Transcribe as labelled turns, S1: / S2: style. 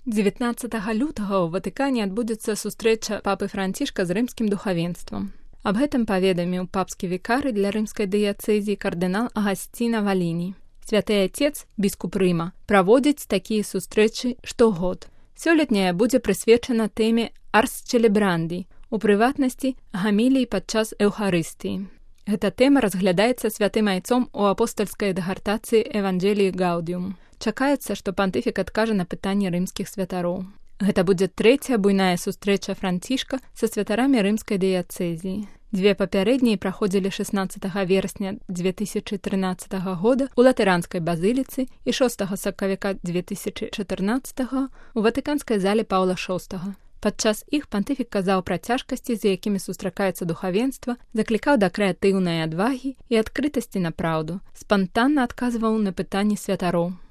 S1: 19 лютага ў Ватыкане адбудзецца сустрэча папы Францішка з рымскім духавенствам. Аб гэтым паведаміў папскі вікары для рымскай дыяцэзіі кардынал Агасціна Валіні. Святы Отец, біскуп Рыма, праводзіць такія сустрэчы штогод. Сёлетняя будзе прысвечана тэме Арс Челебранді, у прыватнасці гаміліі падчас Эўхарыстыі. Гэта тэма разглядаецца святым айцом у апостальскай дагартацыі Евангеліі Гаудіум. Чакаецца, што пантыфік адкажа на пытанні рымскіх святароў. Гэта будзе трэцяя буйная сустрэча Францішка са святарамі рымскай дыяцэзіі. Дзве папярэднія праходзілі 16 верасня 2013 года ў Латыранскай базыліцы і 6 сакавіка 2014 у Ватыканскай зале Паўла VI. Падчас іх пантыфік казаў пра цяжкасці, з якімі сустракаецца духавенства, заклікаў да крэатыўнай адвагі і адкрытасці на праўду, спантанна адказваў на пытанні святароў.